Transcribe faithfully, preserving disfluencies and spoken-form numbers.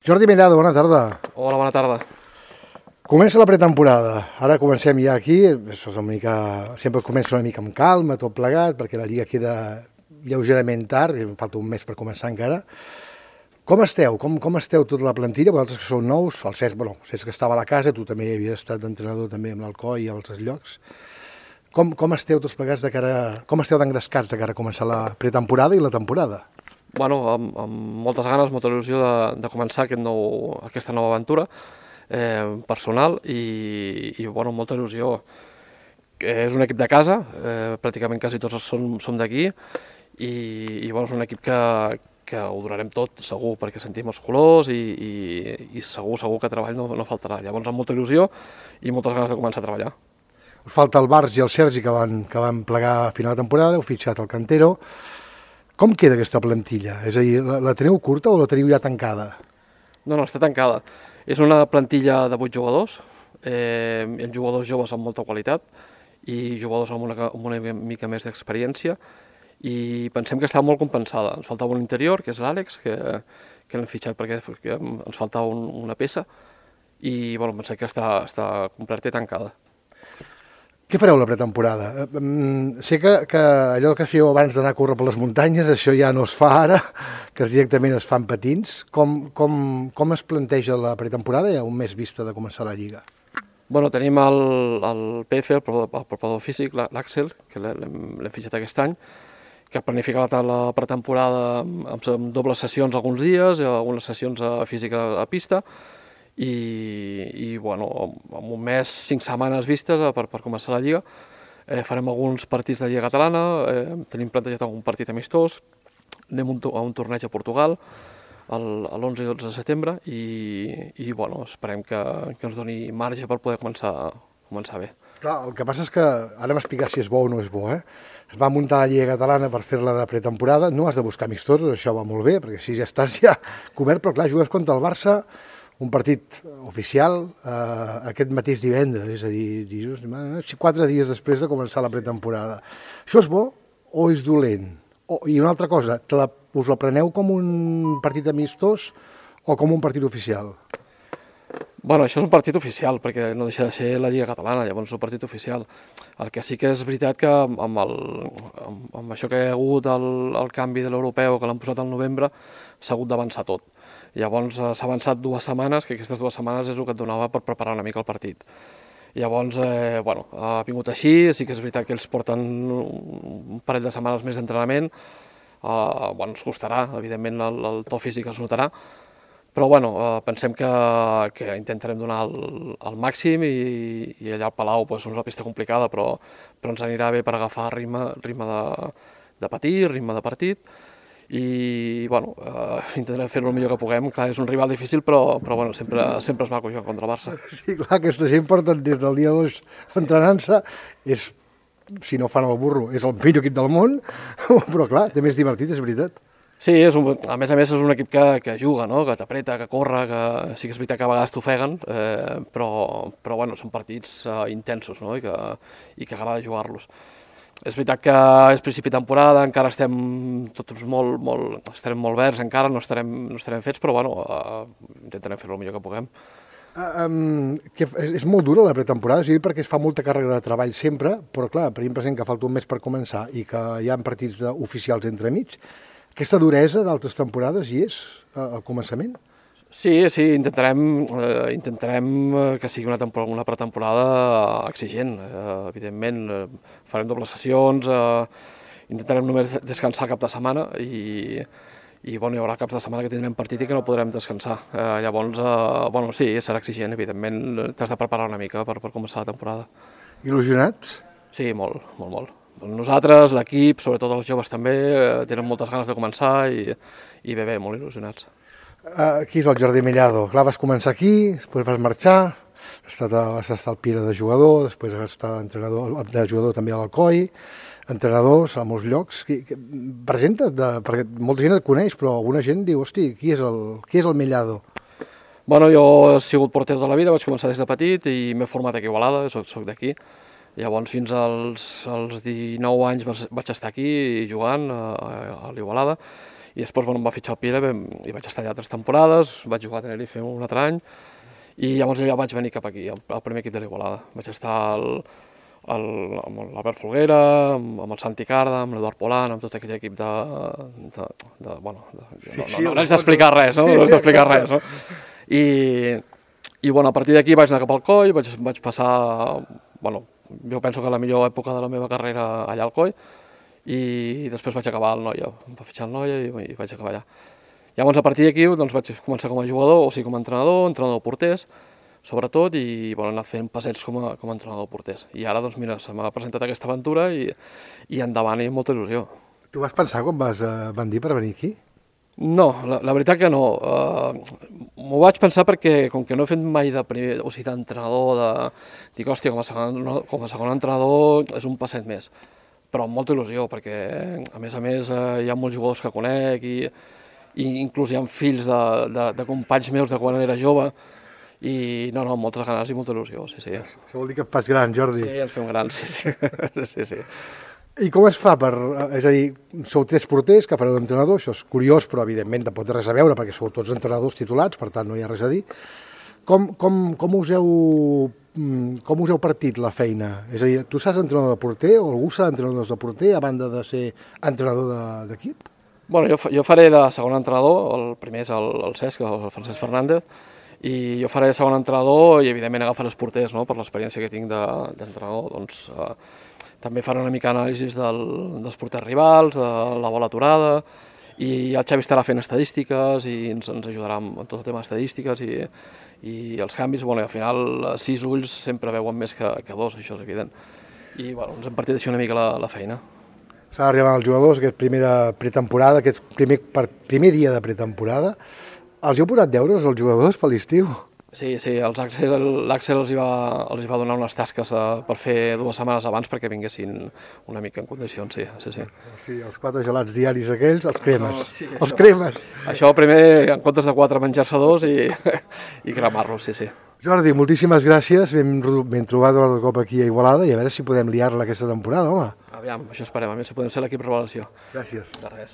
Jordi Mellado, bona tarda. Hola, bona tarda. Comença la pretemporada. Ara comencem ja aquí. Això és una mica... Sempre comença una mica amb calma, tot plegat, perquè la Lliga queda lleugerament tard, i em falta un mes per començar encara. Com esteu? Com, com esteu tota la plantilla? Vosaltres que sou nous, el Cesc, bueno, el Cesc que estava a la casa, tu també havies estat d'entrenador també amb l'Alcoi i als llocs. Com, com esteu tots plegats de cara... Com esteu d'engrescats de cara a començar la pretemporada i la temporada? Bueno, amb, amb moltes ganes, molta il·lusió de, de començar aquest nou, aquesta nova aventura eh, personal i, i bueno, molta il·lusió. És un equip de casa, eh, pràcticament quasi tots som, som d'aquí i, i bueno, és un equip que, que ho donarem tot, segur, perquè sentim els colors i, i, i segur, segur que treball no, no faltarà. Llavors, amb molta il·lusió i moltes ganes de començar a treballar. Us falta el Barç i el Sergi que van, que van plegar a final de temporada, heu fitxat el Cantero. Com queda aquesta plantilla? És a dir, la, la teniu curta o la teniu ja tancada? No, no, està tancada. És una plantilla de vuit jugadors, eh, amb jugadors joves amb molta qualitat i jugadors amb una, amb una mica més d'experiència i pensem que està molt compensada. Ens faltava un interior, que és l'Àlex, que, que l'hem fitxat perquè que ens faltava un, una peça i bueno, pensem que està, està completa i tancada. Què fareu la pretemporada? Sé que, que allò que fèieu abans d'anar a córrer per les muntanyes, això ja no es fa ara, que directament es fan patins. Com, com, com es planteja la pretemporada ja un mes vista de començar la Lliga? Bueno, tenim el, el P F, el preparador físic, l'Àxel, que l'hem fitxat aquest any, que ha planificat la pretemporada amb, amb dobles sessions alguns dies, algunes sessions a física a pista, i, i bueno, en un mes, cinc setmanes vistes per, per començar la Lliga. Eh, farem alguns partits de Lliga Catalana, eh, tenim plantejat algun partit amistós, anem un, a un torneig a Portugal l'onze i dotze de setembre i, i bueno, esperem que, que ens doni marge per poder començar, començar bé. Clar, el que passa és que, ara m'explicar si és bo o no és bo, eh? Es va muntar la Lliga Catalana per fer-la de pretemporada, no has de buscar amistosos, això va molt bé, perquè així ja estàs ja cobert, però clar, jugues contra el Barça, un partit oficial eh, aquest mateix divendres, és a dir, dir, quatre dies després de començar la pretemporada. Això és bo o és dolent? O, I una altra cosa, te la, us la preneu com un partit amistós o com un partit oficial? Bueno, això és un partit oficial, perquè no deixa de ser la Lliga Catalana, llavors és un partit oficial. El que sí que és veritat que amb, el, amb, amb això que hi ha hagut el, el canvi de l'europeu, que l'han posat al novembre, s'ha hagut d'avançar tot. Llavors s'ha avançat dues setmanes, que aquestes dues setmanes és el que et donava per preparar una mica el partit. Llavors, eh, bueno, ha vingut així, sí que és veritat que ells porten un parell de setmanes més d'entrenament, eh, bueno, ens costarà, evidentment el, el to físic es notarà, però bueno, eh, pensem que, que intentarem donar el, el màxim i, i allà al Palau pues, és una pista complicada, però, però ens anirà bé per agafar ritme, ritme de, de patir, ritme de partit, i bueno, eh, intentarem fer-ho el millor que puguem. Clar, és un rival difícil, però, però bueno, sempre, sempre és maco jugar contra el Barça. Sí, clar, aquesta gent porten des del dia dos entrenant-se, és, si no fan el burro, és el millor equip del món, però clar, també és divertit, és veritat. Sí, és un, a més a més és un equip que, que juga, no? Que t'apreta, que corre, que sí que és veritat que a vegades t'ofeguen, eh, però, però bueno, són partits eh, intensos, no? I que, i que agrada jugar-los. És veritat que és principi de temporada, encara estem tots molt, molt, estarem molt verds, encara no estarem, no estarem fets, però bueno, uh, intentarem fer-ho el millor que puguem. Uh, um, que és molt dura la pretemporada, sí, perquè es fa molta càrrega de treball sempre, però clar, tenim present que falta un mes per començar i que hi ha partits oficials entremig. Aquesta duresa d'altres temporades hi és uh, al començament? Sí, sí, intentarem, eh, intentarem que sigui una, una pretemporada exigent, eh, evidentment. Eh, farem dobles sessions, eh, intentarem només descansar cap de setmana i, i bueno, hi haurà caps de setmana que tindrem partit i que no podrem descansar. Eh, llavors, eh, bueno, sí, serà exigent, evidentment, t'has de preparar una mica per, per començar la temporada. Il·lusionats? Sí, molt, molt, molt. Nosaltres, l'equip, sobretot els joves també, eh, tenen moltes ganes de començar i, i bé, bé, molt il·lusionats. Aquí és el Jordi Mellado. Clar, vas començar aquí, després vas marxar, has estat, vas estar al Pira de jugador, després vas estar entrenador, de jugador també a l'Alcoi, entrenadors a molts llocs. Presenta't, de, perquè molta gent et coneix, però alguna gent diu, hosti, qui és el, qui és el Mellado? Bueno, jo he sigut porter tota la vida, vaig començar des de petit i m'he format aquí a Igualada, soc, soc d'aquí. Llavors, fins als, als dinou anys vaig estar aquí jugant a, a l'Igualada. i després bueno, em va fitxar el Pira i vaig estar allà tres temporades, vaig jugar a Tenerife un altre any, i llavors ja vaig venir cap aquí, al, al primer equip de l'Igualada. Vaig estar al, al, amb l'Albert Folguera, amb, amb el Santi Carda, amb l'Eduard Polan, amb tot aquell equip de... de, de bueno, de, sí, no, no, no, no haig d'explicar res, no? No haig d'explicar res, no? I, i bueno, a partir d'aquí vaig anar cap al Coi, vaig, vaig passar... Bueno, jo penso que la millor època de la meva carrera allà al Coi, i després vaig acabar al Noia, em va fitxar el Noia i, i vaig acabar allà. Llavors, a partir d'aquí, doncs, vaig començar com a jugador, o sigui, com a entrenador, entrenador porters, sobretot, i bueno, he anat fent passets com a, com a entrenador porters. I ara, doncs, mira, se m'ha presentat aquesta aventura i, i endavant, i amb molta il·lusió. Tu vas pensar quan vas eh, bandir per venir aquí? No, la, la veritat que no. Uh, M'ho vaig pensar perquè, com que no he fet mai de primer, o sigui, d'entrenador, de... dic, hòstia, com a, segon, com a segon entrenador és un passet més. Però amb molta il·lusió, perquè, a més a més, uh, hi ha molts jugadors que conec i, i inclús hi ha fills de, de, de companys meus de quan era jove, i no, no, moltes ganes i molta il·lusió, sí, sí. Això vol dir que et fas gran, Jordi. Sí, ens fem grans, sí, sí. sí, sí. I com es fa per... És a dir, sou tres porters que fareu d'entrenador, això és curiós, però evidentment tampoc té res a veure perquè sou tots entrenadors titulats, per tant no hi ha res a dir. Com, com, com, us, heu, com us heu partit la feina? És a dir, tu saps entrenador de porter o algú s'ha d'entrenador de porter a banda de ser entrenador d'equip? Bueno, jo, jo faré de segon entrenador, el primer és el, el Cesc, el Francesc Fernández, i jo faré de segon entrenador i evidentment agafaré els porters, no?, per l'experiència que tinc d'entrenador, doncs... Eh, també faré una mica anàlisis del, dels porters rivals, de la bola aturada, i el Xavi estarà fent estadístiques i ens, ens ajudarà amb tot el tema d'estadístiques i, i els canvis. Bueno, i al final sis ulls sempre veuen més que, que dos, això és evident. I bueno, ens hem partit així una mica la, la feina. Estan arribant els jugadors, aquest primera pretemporada, aquest primer, primer dia de pretemporada. Els heu posat deures als jugadors per l'estiu? Sí, sí, l'Àxel els, hi va, els hi va donar unes tasques uh, per fer dues setmanes abans perquè vinguessin una mica en condicions, sí, sí, sí. Sí, els quatre gelats diaris aquells, els cremes, no, sí, els cremes. Això primer, en comptes de quatre, menjar-se dos i, i cremar-los, sí, sí. Jordi, moltíssimes gràcies, ben, ben trobat un altre cop aquí a Igualada i a veure si podem liar-la aquesta temporada, home. Aviam, això esperem, a més si podem ser l'equip revelació. Gràcies. De res.